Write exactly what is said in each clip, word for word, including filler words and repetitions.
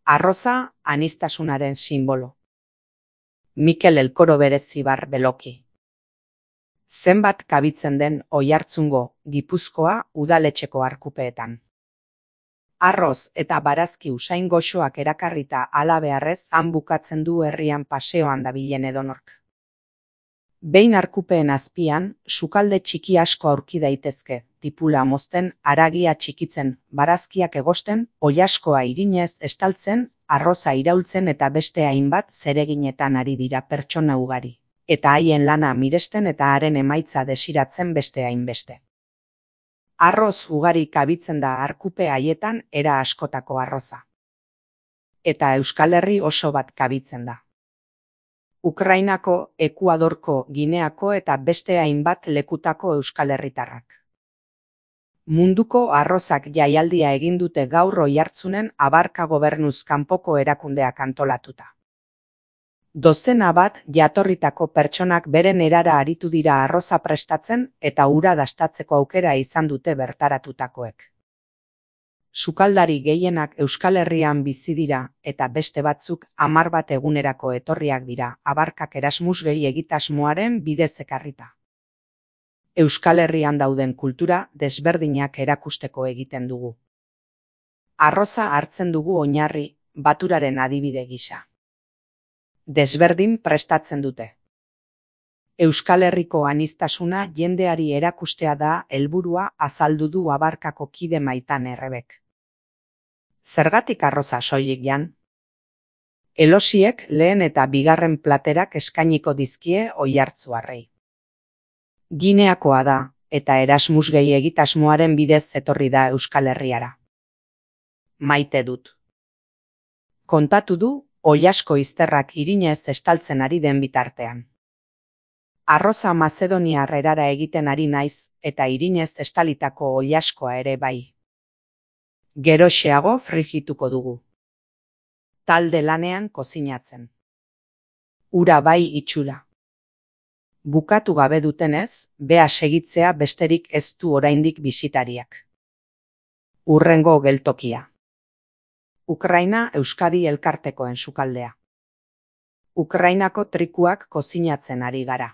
Arroza aniztasunaren sinbolo. Mikel Elkoro Berezibar Beloki. Zenbat kabitzen den Oiartzungo, Gipuzkoa udaletxeko arkupeetan. Arroz eta barazki usain goxoak erakarrita halabeharrez han bukatzen du herrian paseoan dabilen edonork. Behin arkupeen azpian, sukalde txiki asko aurki daitezke, tipula mozten, haragia txikitzen, barazkiak egosten, oilaskoa irinez estaltzen, arroza iraultzen eta beste hainbat zereginetan ari dira pertsona ugari, eta haien lana miresten eta haren emaitza desiratzen beste hainbeste. Arroz ugari kabitzen da arkupe haietan era askotako arroza. Eta Euskal Herri oso bat kabitzen da. Ukrainako, Ekuadorko, Gineako eta beste hainbat lekutako Euskal Herritarrak. Munduko arrozak jaialdia egin dute gaur Oiartzunen Abarka gobernuz kanpoko erakundeak antolatuta. Dozena bat jatorritako pertsonak beren erara aritu dira arroza prestatzen eta ura dastatzeko aukera izan dute bertaratutakoek. Sukaldari gehienak Euskal Herrian bizi dira eta beste batzuk hamar bat egunerako etorriak dira Abarkak Erasmus gehi egitasmoaren bidez ekarrita. Euskal Herrian dauden kultura desberdinak erakusteko egiten dugu. Arroza hartzen dugu oinarri, baturaren adibide gisa. Desberdin prestatzen dute. Euskal Herriko aniztasuna jendeari erakustea da helburua azaldu du Abarkako kide Maitan Errebek. Zergatik arroza soilik jan? Elosiek lehen eta bigarren platerak eskainiko dizkie oiartzuarrei. Gineakoa da, eta Erasmus gehi egitasmoaren bidez etorri da Euskal Herriara. Maite dut. Kontatu du, oilasko izterrak irinez estaltzen ari den bitartean. Arroza Mazedoniar erara egiten ari naiz, eta irinez estalitako oilaskoa ere bai. Geroxeago frigituko dugu. Talde lanean kozinatzen. Ura bai itxura. Bukatu gabe dutenez, bea segitzea besterik ez du oraindik bisitariak. Hurrengo geltokia. Ukraina Euskadi elkartekoen sukaldea. Ukrainako trikuak kozinatzen ari gara.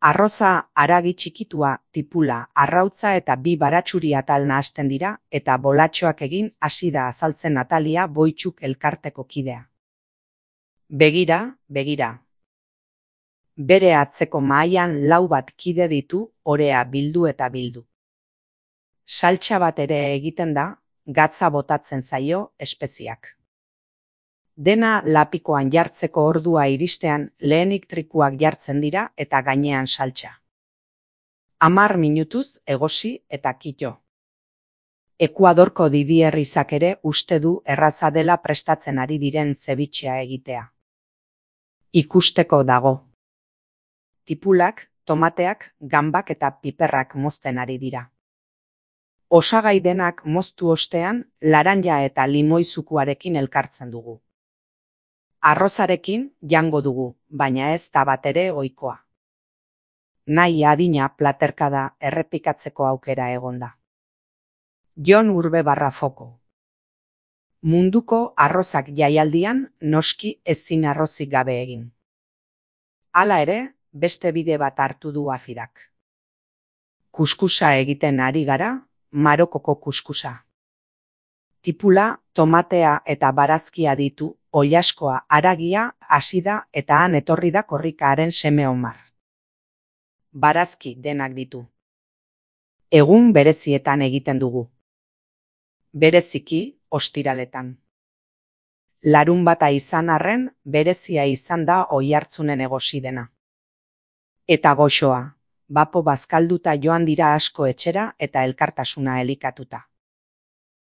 Arroza haragi txikitua, tipula, arrautza eta bi baratxuri atal nahasten dira eta bolatxoak egin hasi da azaltzen Natalia Boitxuk elkarteko kidea. Begira, begira. Bere atzeko mahaian lau bat kide ditu, orea bildu eta bildu. Saltsa bat ere egiten da, gatza botatzen zaio, espeziak. Dena lapikoan jartzeko ordua iristean lehenik trikuak jartzen dira eta gainean saltsa. Hamar minutuz egosi eta kito. Ekuadorko Didier Izak ere uste du erraza dela prestatzen ari diren zebitxea egitea. Ikusteko dago. Tipulak, tomateak, gambak eta piperrak mozten ari dira. Osagai denak moztu ostean, laranja eta limoizukuarekin elkartzen dugu. Arrozarekin jango dugu, baina ez da bat ere ohikoa. Nahi adina platerkada errepikatzeko aukera egonda. Jon Urbe barra foko. Munduko arrozak jaialdian noski ezin arrozik gabe egin. Hala ere, beste bide bat hartu du afidak. Kuskusa egiten ari gara, Marokoko kuskusa. Tipula, tomatea eta barazkia ditu, oilaskoa, haragia, hasida eta han etorri da korrikaren seme Omar. Barazki denak ditu. Egun berezietan egiten dugu. Bereziki, ostiraletan. Larunbata izan arren, berezia izan da Oiartzunen egosi dena. Eta goxoa, bapo bazkalduta joan dira asko etxera eta elkartasuna elikatuta.